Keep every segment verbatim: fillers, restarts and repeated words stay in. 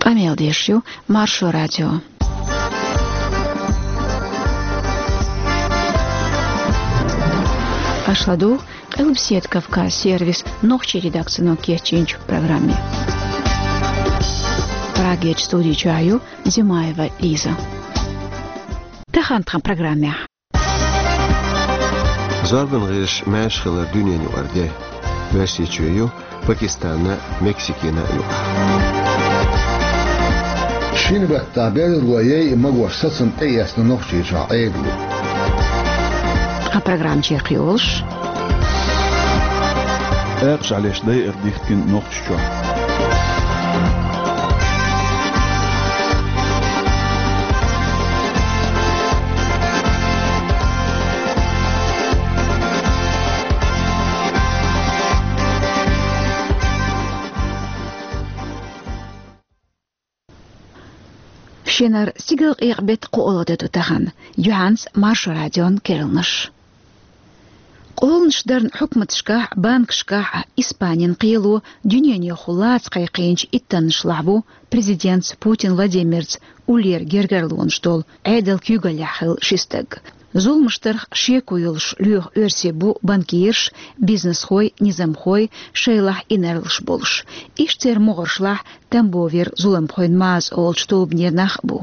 Къамел деш ю Маршо радио. Аша ладугӀу Къилбаседа Кавказ сервисан нохчийн редакцино кечйинчу программе. Прагерчу студи чохь ю Зимаева Лиза. Тахана тхан программехь. Зорбан гӀирсаш маьрша хилар дуьненан юкъара де. Оьрсийчоь ю Пакистанна а, Мексикина а юкъахь. Шина баттахь берриге яйъа магош сацам тӀеэцна Нохчийчохь Ӏедало. Тхан программа чекхйолуш. Экъа шалеш дайар дихкина Нохчийчохь. Шинара стигалкъекъа беттан кхоалгӀа де ду тахана. Юьхьанца Маршо радион керланаш. Къоланаш дарна хьукматашкахь а, банкашкахь а Испанин кхело дуьненахула лаца кхайкхийначу иттаннашлахь ву президентца Путин Владимирца уллера гергарлонаш долу Ӏедалан куьйгаллехь хилла ши стаг. Зуламаш дарх шеко йолуш лоьху оьрсий бу банкираш, бизнесхой, низамхой, шайлахь инарлаш болуш. Иштта церан могӀаршлахь Тамбовера зуламхойн маза олучу тобанера нах а бу.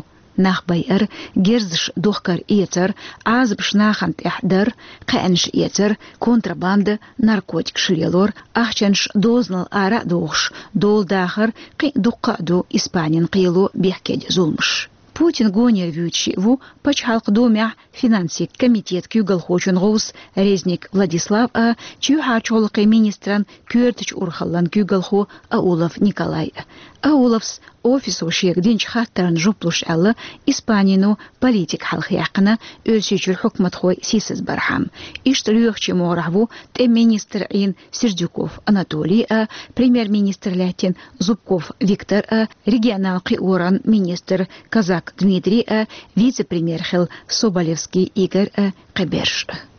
Нах байар, герзаш духкар эцар, Ӏазапаш нахана тӀехь дар, кхаьънаш эцар, контрабанда, наркотикаш лелор, ахчанаш дозанал ара а дохуш, дола дахар, кхин а дуккха а ду Испанин кхело бехкедо зуламаш. Путин гонера вуьйцуш шиъ ву Пачхьалкхан Думехь финансийн комитетан куьйгалхочун гӀовс Резник Владислав а, чоьхьарчу гӀуллакхийн министран коьртачу урхаллан куьйгалхо Аулов Николай а. Ауловс офисо шега динчу хаттарна жоп луш аьлла, Испанино политика хьалха яьккхина, Оьрсийчуьра хьукматхой сийсаз бархьама. Иштта лоьхучийн могӀарехь ву тӀеман министр Ӏийна Сердюков Анатолий а, премьер-министр лаьттина Зубков Виктор а, регионал кхиоран министр Козак Дмитрий а, вице-премьер хилла Соболевский Игорь а, кхиберш а.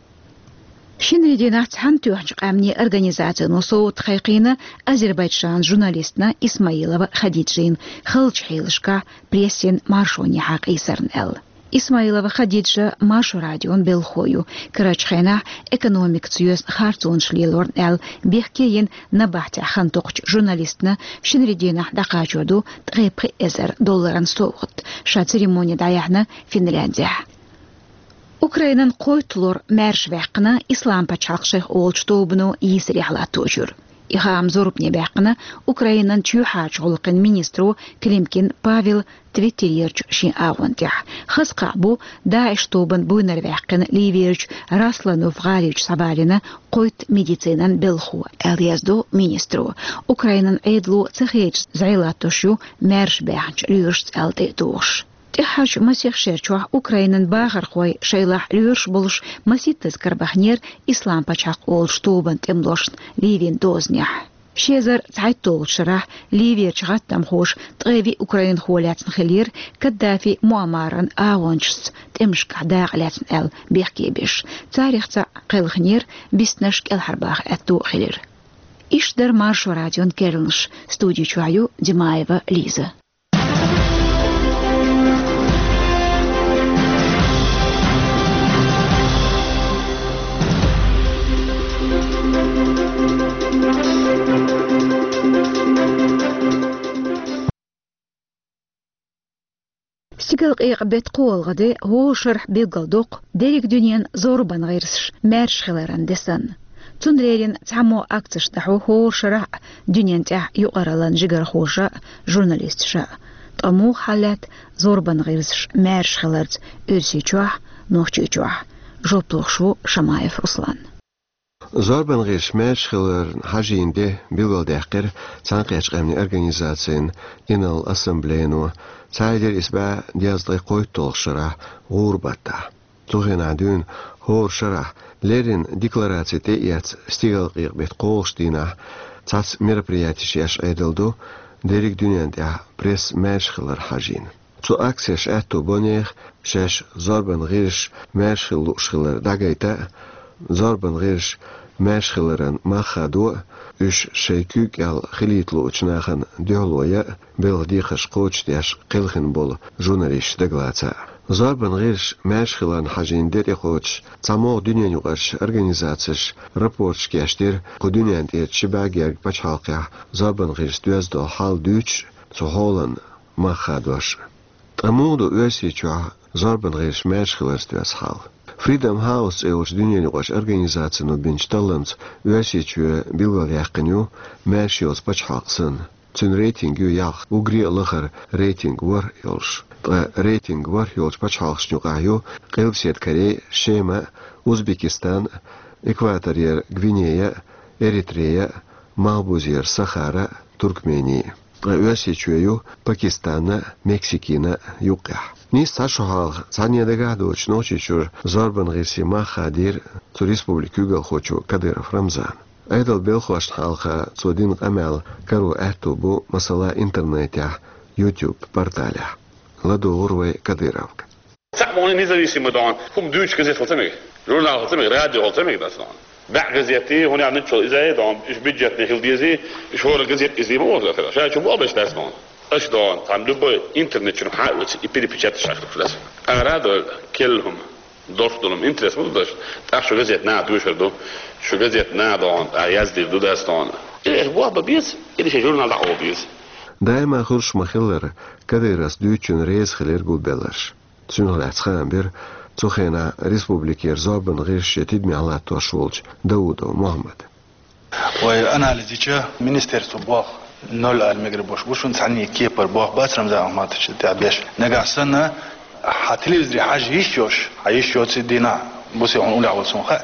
Шинарин дийнахь Цхьаьнатоьхначу Къаьмнийн Организацино совгӀат кхайкхийна Азербайджанан журналистна Исмаилова Хадиджина халчу хьелашкахь прессин маршонехьа къийсарна аьлла. Исмаилова Хадиджа Маршо радион белхахо ю, карарчу хенахь экономикаца йоьзна харцонаш лелорна аьлла, бехке йина набахтехь хан токхучу журналистна шинарин дийнахь дӀакхачор ду ткъе пхи эзар долларан совгӀат, ша церемони дӀаяьхьна Финляндехь. Украинан кхойтталгӀа лор маьрша ваьккхина Ислам пачхьалкх шайх олучу тобано йийсарехь латточуьра. И хаам зорбане баьккхина Украинан чоьхьарчу гӀуллакхийн министро Климкин Павел Твиттерерчу шен агӀон тӀехь. Хаза кхаъ бу ДАИШ тобан буйнара ваьккхина Ливерчу Расланов гӀаличу схьавалийна кхойтта медицинан белхахо, аьлла яздо министро. Украинан Ӏедало ца хедаш зӀе латтош ю маьрша баьхначу лоьрашца аьлла тӀе а тухуш. ТӀаьххьарчу масех шерчохь Украинан бахархой шайлахь лоьраш болуш масийттаза карабахнера Ислам пачхьалкх олучу тобан тӀемалошна Ливин дозанехь. Ши эзар цхьайтталгӀачу шарахь Ливерчу гӀаттамхоша ткъе виъ украинхо лаьцна хилира Каддафи Муаммаран агӀончашца тӀемашкахь дакъа лаьцна аьлла бехке беш. Царах цхьаъ кхелхинера, биснарш кӀелхьарбаха аьтто а хилира. Иштта дара Маршо радион керланаш, студи чохь ю Димаева Лиза. Стигалкъекъа беттан кхоалгӀа де хӀора шарахь билгалдоккху дерриг дуьненан зорбан гӀирсаш маьрша хиларан де санна. Цунна леррина цхьаммо акцеш дӀахьо хӀора шарахь а дуьненна тӀехь юкъараллан жигархоша а, журналисташа а. Ткъа муха хьал лаьтта зорбан гӀирсаш маьрша хиларца Оьрсийчохь а, Нохчийчохь а? Жоп лохуш ву Шамаев Руслан. Зорбан гӀирсаш маьрша хиларна хьажийна де билгалдаьккхира Цхьаьнакхеттачу Къаьмнийн Организацин Инарла Ассамблейно, цхьа эзар исс бӀе дезткъе кхойтталгӀачу шарахь гӀуран баттахь. Цу хенахь дуьйна хӀора шарахь леррина деклараци тӀеэцна стигалкъекъа беттан кхоалгӀачу дийнахь цхьацца мероприятеш еш Ӏедал ду, дерриг дуьненна тӀехь пресса маьрша хилар хьажийна. Цу акцеша аьтто бо нехан шаьш зорбан гӀирсаш маьрша хила лууш хилар дӀагайта а, зорбан гӀирсаш маьрша хиларан мах хадо а, уьш шайн куьйга кӀел хилийта луучу нахана дуьхьало ян а, белхан декхарш кхочушдеш кхелхина болу журналисташ дагалаца а. Зорбан гӀирсаша маьрша хиларна хьажийна де тӀекхочуш, цхьа могӀа дуьненаюкъарчу организацеша рапорташ кечдира, кху дуьненна тӀера ши бӀе герга пачхьалкхехь зорбан гӀирсаша доьзна хьал дуьйцуш а, цу хьолан мах хадош а. Ткъа муха ду Оьрсийчохь зорбан гӀирсаша маьрша хиларца доьзна хьал? Freedom House цӀе йолчу дуьненаюкъарчу организацино бинчу талламца Оьрсийчоь билгалъяьккхина ю маьрша йоцу пачхьалкх санна. Цуьнан рейтинг ю ялх, уггаре а лахара рейтинг ворхӀ йолуш. Ткъа рейтинг ворхӀ йолчу пачхьалкхашна юкъахь ю Къилбаседа Корей, Шема, Узбекистан, Экваторера Гвинея, Эритрея, Малхбузера Сахара, Туркмени. Ткъа Оьрсийчоь ю Пакистанна, Мексикина юккъехь. Нийса цхьа шо хьалха цхьанне дагахь доцуш Нохчийчуьра зорбан гӀирсийн мах хадийра цу республикин куьйгалхочо Кадыров Рамзана. Ӏедалан белхошна хьалха цо дина къамел каро аьтто бу, масала, интернетехь, YouTube порталехь. ЛадогӀура вай Кадыровга. Цхьаъ ма ву независимый дон, хӀума дуьйцуш газет хила ца мега, журнал хила ца мега, радио хила ца мега дац дон. БӀе газет, хӀунда аьлча нуьцкъала иза а дон, уьш бюджетный хила дезий, уьш хӀора газет иза ма ву, ша чу бу а беш дац дон. Аша дон, там любой интернет чуьра хьан а оьцу, и перепечатать ша хила дац. Ара а дойла, керла хӀума, долуш долу хӀума, интерес ма ду даш, тӀаккха шу газет наха дуьйцур ду, шу газет наха дон, а яздийр ду дац дон. Или аша бохба беза, или шайн журнал дӀа а беза. Даима хуьлуш ма-хиллара, Кадыровс дуьйцучунна реза хилира гулбелларш. Цунах лаьцна хаам бира цу хенахь республикера зорбан гӀирсаш шен тидамехь латтош волчу Даудов Мохьмада. Вай анализ йича, министерство боху ноль ала мегар болуш бу шуна, цхьанне кепара боху бац Рамзан Ахматовича тӀехь беш. Нагахь санна, хьан телевизоре хьажа йиш йолуш, хьан йиш йоцу дийнахь, бусе хьуна уллехь волу суна хаьа.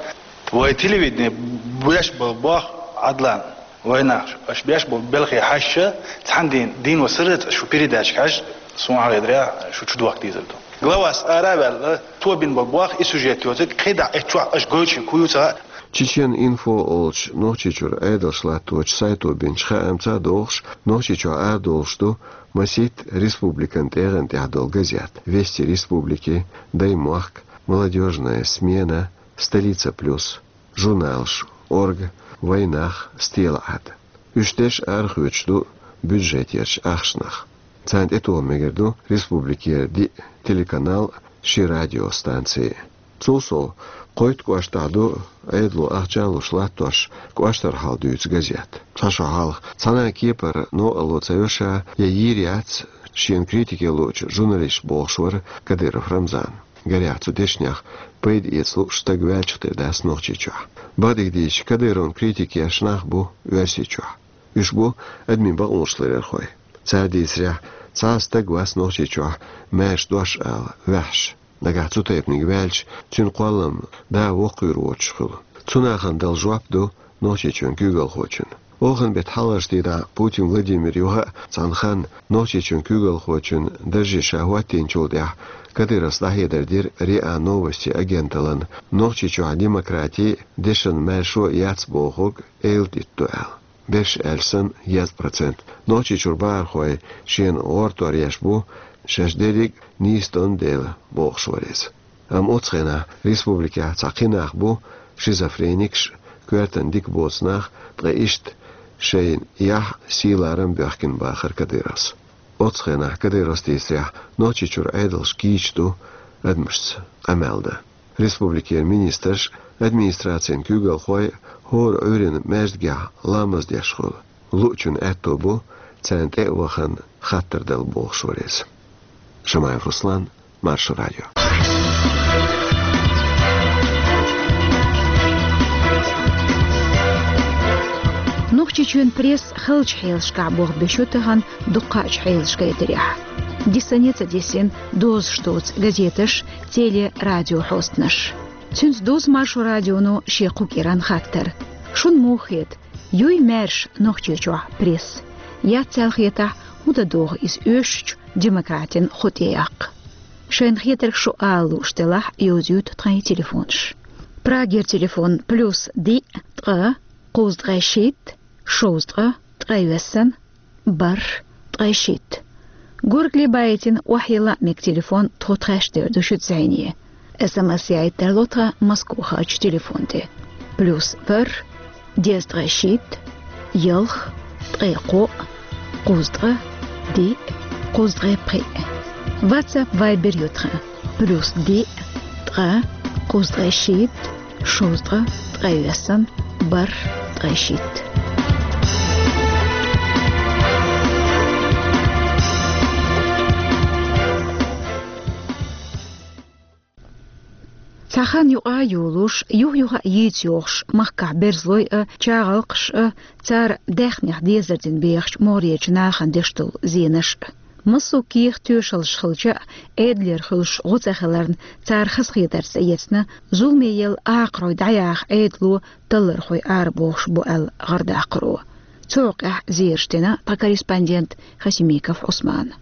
Вай телевидение беш болу боху Ӏадлан. Вайнах, аша беш болу белхе хьаьжча, цхьана дийна, дийно сарралц аша шу передача хьаьжча, суна хьахедарехь, шу чудохка дезар ду. Главас ара а ваьлла, цо бина болу боху и сюжет йоцург, кхидӀа эцчохь аша гойтуш хӀун ю ца хаьа. Чечен Инфо олучу Нохчийчуьра Ӏедалш латточу сайто бинчу хаамца а догӀуш, Нохчийчохь арадолуш ду масийтта республикан тӀегӀан тӀехь долу газет: Вести республики, Даймохк, Молодёжная смена, Столица плюс. Журналаш: Орга, Вайнах, Стелаат. Уьш деш арахоьцуш ду бюджетерчу ахчанах. Царна тӀетоха мегар ду республикера диъ телеканал, ши радиостанци. Цул сов, кхойтта кӀоштахь ду Ӏедало ахча а луш латтош кӀоштара хьал дуьйцу газет. Цхьа шо хьалха цхьана а кепара новкъарло ца йо ша, я йийр яц шена критике луучу журналисташка, бохуш вара Кадыров Рамзан. Гарехь, цу дешнех пайда эца лууш стаг ваьлчух тера дац Нохчийчохь. Бакъдерг дийцича, Кадыровна критика еш нах бу Оьрсийчохь. Уьш бу адамийн бакъонаш ларъярхой. Цара дийцарехь, цхьа а стаг вац Нохчийчохь маьрша дош ала ваьхьаш. Нагахь цу тайпаниг ваьлча, цуьнан кхоллам да воккхавийр воцуш хуьлу. Цу нахана дала жоп ду Нохчийчоьнан куьйгалхочун. Оханан беттан хьалхарчу дийнахь Путин Владимира юха а цхьана ханна Нохчийчоьнан куьйгалхочун дарже ша хӀоттийначул тӀаьхьа Кадыровс дӀахьедар дира РИА Новости агенталлина, Нохчийчохь демократи, дешан маьршо яц бохург эладитто аьлла. Берш аьлча санна, еза процент Нохчийчуьра бахархой шена гӀортор еш бу, шаьш дерриг а нийса дон дела, бохуш вара иза. Амма оцу хенахь республикехь цхьа кхин нах бу, шизофреникаш, коьртана дика боцу нах, ткъа иштта шайна яхь, сий-ларам боьхкина бахара Кадыровс. Оцу хенахь, Кадыровс дийцарехь, Нохчийчуьра Ӏедалш кийча ду адамашца къамел дан. Республикера министраш, администрацин куьйгалхой хӀора Ӏуьйранна маьждигехь ламаз деш хуьлу. Луучун аьтто бу царна тӀе а вахана хаттар дала, бохуш вара иза. Шамаев Руслан, Маршо радио. Нохчийчоьнан пресса халчу хьелашкахь болх беш ю тахана дуккхачу хьелашкахь гайтарехь. Дисане а ца дисина, дозуш доцу газеташ, теле-, радиохьостанаш. Цуьнца дузу Маршо радионо шен кху кӀиран хаттар. Шуна муха хета, юй маьрша Нохчийчохь пресса? Яц аьлла хетахь, хӀун дан догӀу иза оьшучу демократин кху тӀеяккха? Шайна хетарг шу ала лууш делахь, йовзуьйту тхайн телефонаш. Прагера телефон: плюс диъ, ткъа, кхузткъе шийтта, шовзткъа, ткъе виссина, бархӀ, ткъе шийтта. Гургали байтина охьайилла а мега телефон, тхо тхаьш дер ду шуьца зӀене. СМС яийта тарло тхан Москвахарчу телефон тӀе. плюс ворхӀ, дезткъе шийтта, ялх, ткъе кхоъ, кхузткъа, диъ, кхузткъе пхиъ. WhatsApp, Viber ю тхан: плюс диъ, ткъаь, кхузткъе шийтта, шовзткъа, ткъаь виссана, бархӀ, ткъаь шийтта. Цхьа хан юкъа а йолуш, юх-юха а йийца йогӀуш, махкахь берзалой а, чагӀалкхаш а, цара даьхнех дезар дина бехачу могӀарерчу нахана деш долу зенаш а. Массо а кехат, тоьшаллаш хилча а, Ӏедалера хуьлуш гӀо ца хиларна, цара хазахетарца тӀеэцна, зуламе елла акхарой дӀаяха Ӏедало таллархой арабохуш бу аьлла гӀардаккхаро. Цу хьокъехь зераш дина тхан корреспондент Хасимиков Ӏусмана.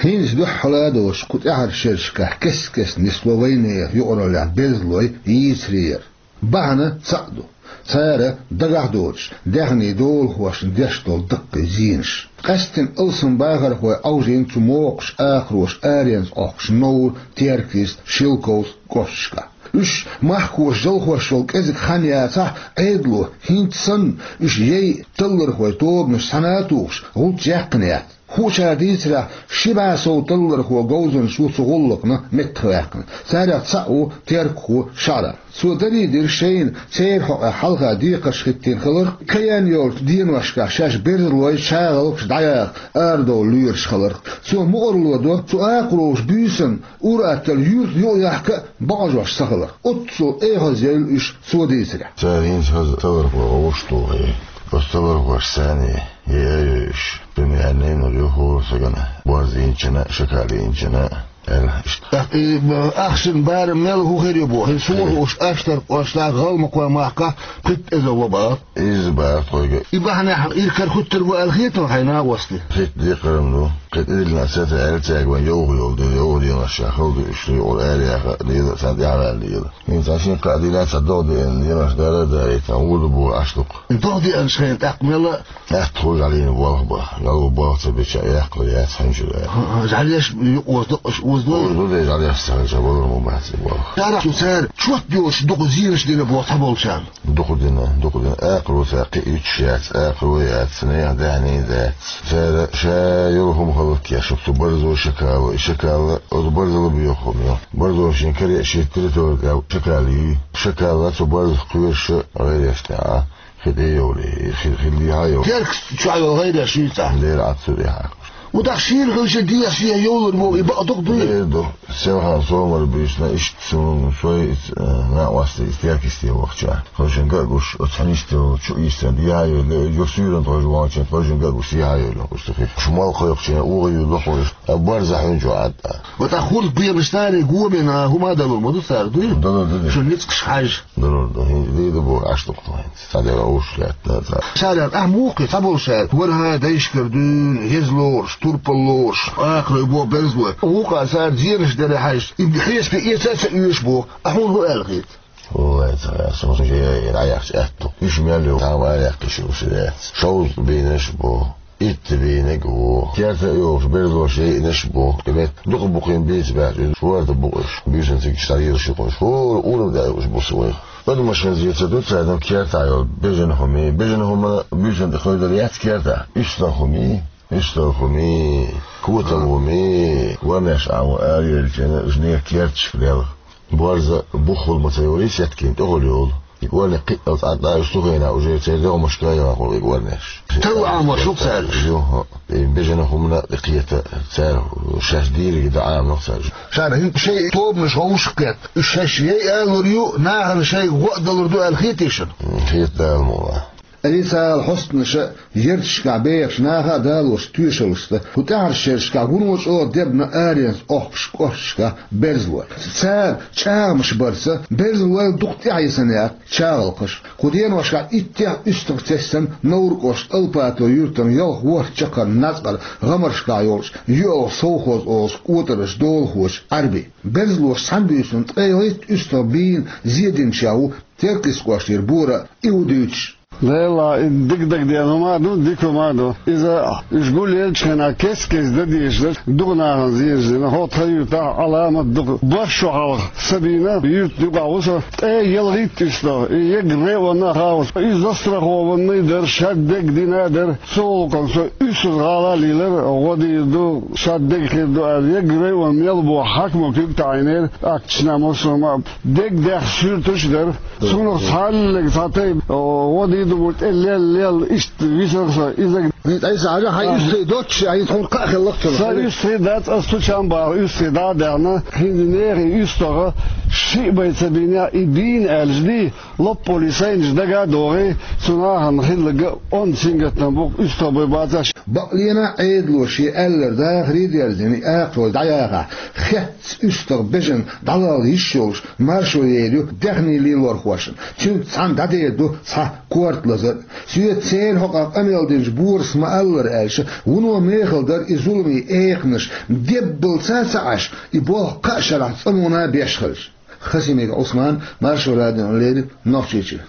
ХӀинца дуьххьара а долуш кху тӀаьхьарчу шерашкахь кест-кеста нисло вайнехан юкъараллехь берзалой йийцарера. Бахьана цхьаъ ду. Цара дагахь доцуш, даьхнийн долахошна деш долу даккхий зенаш. Къаьсттина алсам бахархой Ӏовжийна цу мокхачу акхароша аренца Ӏохкуш Новр, Теркйист, Шелковск кӀошташкахь. Уьш махкахоша жалхош йолу кӀезиг хан яцахь а, Ӏедало, хӀинца санна, уьш яйъа таллархойн тобанаш цхьаьна а тухуш, гӀулч яьккхина яц. Хуучара дийцарехь, ши бӀе сов таллархо говзанча ву цу гӀуллакхна меттахваьккхина. Царех цхьаъ ву теркахо ШаӀран. Цо дарий дира шайна церан хьокъехь хьалха декхарш хӀиттийна хиларх, кхин йолчу деношкахь шаьш берзалой, чагӀалкхаш дӀаяха арадовла лоьруш хиларх. Цо мукӀарло до цу акхароша буьйсанна ур-атталла юьртана юкъаяхка а бакъажош ца хиларх. Оццул эхазъяьлла уьш, цо дийцарехь. Цара хӀинца хаза таллархой гӀовттуш тухий. Оцу таллархошца царна яй а йойуш, примерно, йина ю хӀора сагана, борз йинчина а, шакал йинчина а, аьлла иштта. ТӀаккха и, м, ахчанан барам мел хӀун хир ю боху? ХӀинца хӀун хууш, Аштаркан кӀоштахь, ГӀалмакхойн махкахь пхийтта эзар ло бара. Иза бара тхоьга. И бахьанехь иракарахӀуьттур бу аьлла хета хьайна, накъостий? Хетта декхарам ду. Кхин тӀедиллина сацара аьлла цаьрга, вайн йовха йолу дела, йовха денош ша хала ду, уьш юкъара араяха а дела, царна тӀаьхьаваьлла дела. ХӀинца цхьа шина-кхаа дийнахь цхьа догӀа деана, денош дара а дарийтина, гӀур ду боху Ӏаш дукха. ДогӀа деанчу хенахь тӀаккха мела атта хуьлу жӀаьлина болх бан, жӀаьло болх ца беча а яккхалур яц хьуьнчуьра. ХӀаъ, жӀаьлеш юкъа оза дакъаш оза дой? Оза ду, де жӀаьлеш ца хилча, балар ма бац и болх. Царах шу цара чот йоцуш дукха зенаш дина боху цхьаболчарна. Дукха дина, дукха дина. Акхаро цара кхиийта яц, акхаро яц, нехан даьхни дац. Цара ша йолу хӀума хала кхеташ, цу барзо, шакало, и шакал, оцу барзал а боьха хӀума ю. Барзо шен каре а шен территори тӀехь шакал юй. Шакал цу барзах кхоьруш гӀайреш тӀехь а хи тӀе йовлий, хи, хи дехьа а йовлий. Теркаца чохь йолу гӀайреш юй цхьа. Дера Ӏад цу тӀехь. Ву тӀаккха шийла хилча дехьа шен йовлар боху, и бакъ дукха дуй? Дера ду. Селхана сомал буьйсина, иштта суна, сой, э, накъостий, теркисте вахча. Тхойшинга а гуш, оцу хьанистел чу ийстина дехьа а йойла, юха суьйранна тхойша вахча, тхойшинга а гуш, дехьа а йойла, гуш ду хи. Шу мал кхойкхучийн угӀа юьллу хьуна, а барза хьуьнчу Ӏад а. Ва тӀаккха хӀорд бехаш цара гомина хӀума а далур ма ду цара, дуй? Далур ду, дуй. Шун ницкъаш хьаьжжа. Далур ду, хӀинца дийр ду боху Ӏаш дукха тхайна. Цхьа дера уьш лаьтта, цхьа. Цара ахь муха кхета, цхьаболчара ворхӀе дайшкара дуьйна, еза лоруш, турпал лоруш, акхарой боху берзалой. Вукхара цара зенаш дара хьаьжча, и хьесапе эца а ца оьшу боху. Ахь хьуна хӀун аьлла хета? Валлай, ца гӀерта, сан шу яйна Ӏаяхча аьтту. Уьш мел йолу, тхьамма араяьккхиш йолуш яц. Шовзткъа бийнарш бу, итт бийнарг ву. Керта а йолуш, берзалоша яйнарш бу. И метта дукха бу кхин бийца баьхча, иза шорта бу уьш. Буьйсанна цига дӀаелаш ю кхуьнаш. ХӀора урамна дӀа уьш бу ца вайх. Адамашна зен ца ду цара, ну, керта йолу бежана хӀума, бежана хӀума буьйсанна тӀе хойдар яц керта. УьстагӀ хӀума, уьстагӀ хӀума, котал хӀума, ворнеш а ву, ара йоьллачу хенахь уьш нехан керташка лелха. Борза буххула ма ца йолий, сеткина тӀехула йолу. И ворнех кхиъал цхьаъ дӀа уьш цу хенахь уже церан дегӀмашка а яхна хуьлу и ворнеш. Талла Ӏамош ю-кх цара уьш? Ю, хӀаъ. И бежана хӀуманна а тӀекхета цара, шаьш дийриг дан Ӏамадо-кх цара уьш. Шарахь хӀинца шайн тобанаш вовшахкхетта, уьш шаьш яй алур ю, нахана шайга гӀо а далур ду аьлла хетий шуна? М, хета Дала мукъалахь. Официалан хьостанаша а, ярташкахь бехачу наха а далош тоьшаллашца, кху тӀаьхьарчу шерашкахь вуно чӀогӀа дебна аренца Ӏохкуш кӀошташкахь берзалой. Цара чӀагӀамаш барца, берзалой дукха тӀаьхьа йисина яц чагӀалкхаш. Кху деношкахь иттех уьстагӀ тесна Новр кӀоштан Алпатово юьртана ялх-ворхӀ чаккхарма нацкъара гӀамаршкахь йолчу «ЮьалгӀа совхоз» олучу кӀотаран долахочу Ӏаьрбин. Берзалоша цхьана буьйсанна ткъе ялхитта уьстагӀ бийна зе динчех ву Теркйист кӀоштара Бора а, и ву дуьйцуш. Дела, и дика дагадеана хӀума ду, дика хӀума ду. Иза уж гулъелча хенахь кест-кеста дан дезаш дара, дукха нахана зенаш дина. ХӀокху тхан юьртахь Ӏаламат дукха. Барх шо хьалха Сабина юьртан юкъахь ву со. ТӀе ялхитта уьстагӀ, и егга районна а хаалуш. Иза застрахованный дара, шадерг дина а дара. Цу гӀуллакхана со уьссаза гӀала а лелара, гӀо дийр ду, шадерг хир ду аьлла, егга районна мел бу хьаькамо куьг таӀийнера, акчашна массо а ма. Дегдехь суьрташ а дара. Цунах цхьаллиг цхьа тайпа, о, гӀо дийр ду бу тӀе лел-лел, иштта висарх со. Иза Ай, ай, са хьажа, хьайн уьстагӀий доццуш, ай, тхуна кхаъ хиллакх цунах. Сан уьстагӀий дац, ас цу чам бахьа уьстагӀий дӀа а даьхна, хӀинца нехан уьстагӀа шиъ бай ца бинехь, и бийна аьлча дий, лоппале сайнаш дага а догӀий, цу нахана хилларг онда сингаттам бу-кх, уьстагӀ бай бацахь. Бакълена Ӏедало шен аьлларг дахаре а дерзийна, и акхарой дӀаяхахь, хетта уьстагӀ бежана дӀалала йиш йолуш, маршо йийр ю даьхни лелорхошна. Цуьнца цхьаьна дӀадер ду цхьа корта лазар. Соьца церан хьокъехь къамел динчу Борис ма-аллара аьлча, вуно мехала дара и зуламийн экханаш, деббалца а ца Ӏаш, и болх кхаа шарахь цӀанонан беш хилча. Хасимиков Ӏусман, Маршо радиона леррина, Нохчийчоь.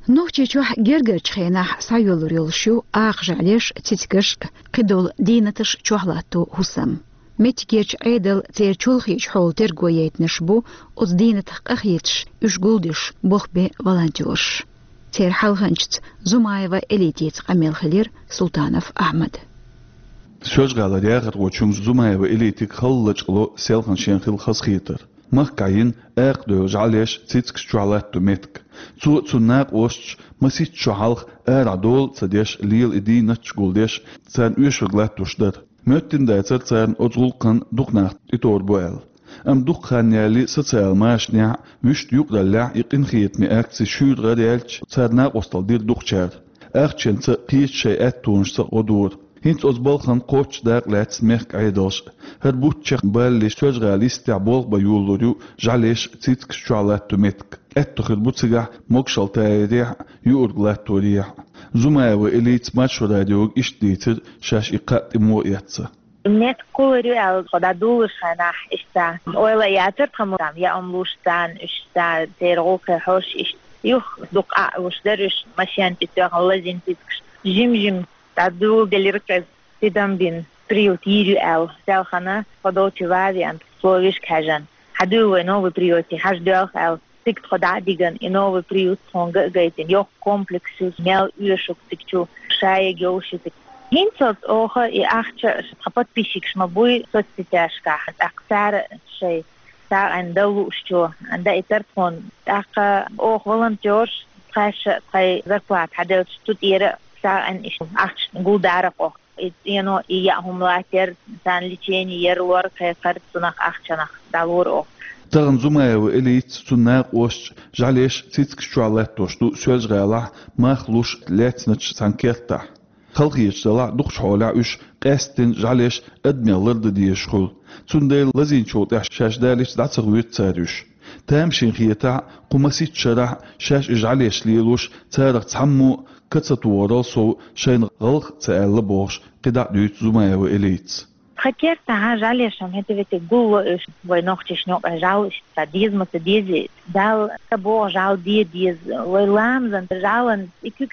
Нохчийчохь гергарчу хенахь схьайоьллур йолуш ю акха жӀаьлеш, цицигаш, кхидолу дийнаташ чохь латто хӀусам. Меттигерчу Ӏедалан церан чолхечу хьолан терго яйтинарш бу оцу дийнатах къахеташ, уьш гулдеш болх бен волонтёраш. Церан хьалханчица Зумаева Элитица къамел хилира Султанов Ахьмада. Соьлжа-ГӀалара яхархочун Зумаева Элитига хала лачкъало селхана шен хилла хазахетар. Махкахь йина акха девлла жӀаьлеш, цицигаш чохь латто меттиг. Цо а, цуьнан накъосташа а масех шо хьалха арахь дола а ца деш, лела и дийнаташ гулдеш, царна оьшург латтош дара. Моьттина дацара царна оцу гӀуллакхана дукха нах тӀетовр бу аьлла. Амма дукха хан ялале социал машанехь а, вуьшта юкъараллехь а и къинхетаме акци шуьйра гӀараяьлча, цара накъосталла дира дукхачара. Ахчанца а, кхечу шайн аьттонашца а гӀо дора. ХӀинца оцу балхана кхоччуш дакъа лаьцна мехкан Ӏедалш а. ХӀара бутт чекхбалале Соьлжа-ГӀалин йистехь болх бан йолалур ю жӀаьлеш, цицигаш чохь латто меттиг. Аьтто хир бу цигахь могушалла тайарехь а, юург латторехь а. Зумаева Элита Маршо радиога иштта дийцира, шаьш и кхаъ тӀе муха эцна. Меттиг кхуллур ю аьлла, тхо дӀадолалуш хенахь иштта ойла а яцара тхан, ма-, там, яа хӀума луш царна, уьш царна, церан гӀуллакхе хьожуш иштта. Юха дукха а луш дара уьш, машен тӀе тоьхна лазийна цицигаш. Жим-жим дӀадоладелира-кх иза, тидам бина, приют йийр ю аьлла, селхана тхо долчу ван а веана, словешка хьаьжна. Хьадуьйла вай новый приюте, хьажа доьлху аьлла, цига тхо дӀа а дигна, и новый приют тхуна га а гайтина, йоккха комплекс ю, мел оьшург цига чу, шайга йовш ю цига. ХӀинца оха и ахча тхан подписчикаш ма буй соцсетяшкахь, тӀаккха цара шайн сагӀина дан луучо даийтар тхуна. ТӀаккха оха волонтёрш, тхаьш а тхайн зарплата хьаделча, цу тӀера сагӀина иштта ахча гулдара-кх оха. И цӀено, и яа хӀума латтор, царна лечение яр, лор кхайкхар, цунах ахчанах дӀалора оха. Тахана Зумаева Элита, цуьнан накъосташ жӀаьлеш, цицигаш чохь латтош ду Соьлжа-ГӀалахь мах луш лаьцначу цхьана кертахь. Халахеташ делахь а, дукхачу хьолехь уьш къаьсттина жӀаьлеш адамех лардан дезаш хуьлу. Цундела лазийначул тӀаьхьа шаьш далийча дӀа ца гӀоьрта цара уьш. Тамашийна хетахь а, кху масех шарахь а шаьш и жӀаьлеш лелош, царах цхьаммо а ка ца тохарал сов шайна гӀалгӀа а ца аьлла бохуш, кхидӀа а дуьйцу Зумаева Элитас. Тхан кертахь жӀаьлеш-м хӀета-вета гулло уьш, вай нохчашна юкъахь жӀаьла иштта деза ма ца дезий, Далла ца боху жӀаьла де деза, вай ламазан жӀаьлан и куьг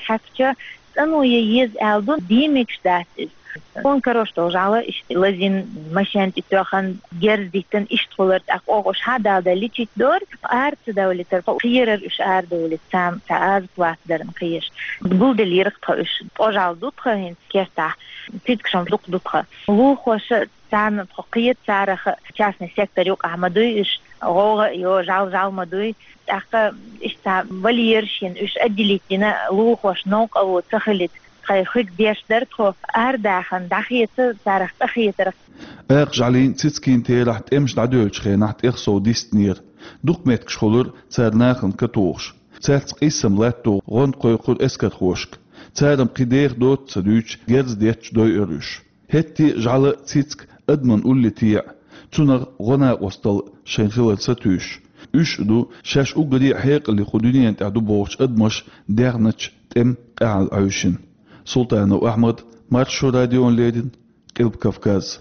хьаькхча, цӀано ян еза аьлла ду, дийна мегаш дац иза. Тхуна карош долу жӀаьла иштта лазийна, машен тӀе тоьхна, герз диттина, иштта хуьлура, тӀаккха оха уьш хьа а далале лечить дора, ара ца довлийтара, кхерара уьш арадовлийта, царна цхьа азапат дарна кхераш. Гулделлера-кх тхо уьш, ткъа жӀаьла ду тхан хӀинца кертахь, цицигаш-м дукха ду тхан. Лулахоша царна тхо кхета, царах частный сектор юкъахь ма дуй уьш, гӀовгӀа а йо, жӀаьла жӀаьла ма дуй. ТӀаккха иштта вольераш йина, уьш отделить дина, лулахошна новкъарло ца хилийта, тхайн хиг деш дара тхо, арадахана дӀахеца, царах къахетарх. Акха жӀаьлин, цициган терахь тӀемаш дӀадоьллучу хенахь тӀех сов дистинера. Дукха меттигаш хуьлура цара нахана ка тухуш. Цаьрца къийсам латто гӀо кхойкхура эскархошка. Цара-м кхин деха доццу ца дуьйцуш, герз детташ дойура уьш. ХӀетте а жӀаьла, цициг адаман улле теӀа, цунах гӀо, накъосталла шайна хилар сатуьйсуш. Уьш а ду шаьш уггаре а хьекъале кху дуьненан тӀехь ду бохучу адамаша дегӀначу тӀеман къаьхьалла Ӏуьйшина. Султанов Ахьмад, Маршо радиона леррина, Къилба Кавказ.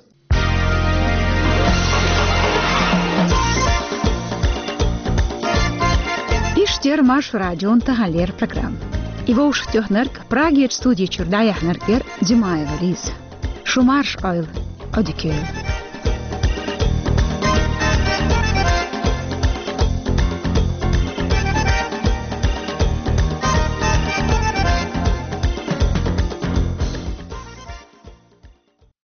Иштта яра Маршо радион таханлера программа. И вовшахтоьхнарг, Прагерчу студи чуьра дӀаяьхьнарг яра Димаева Лиза. Шу марша Ӏойла, Ӏодика йойла.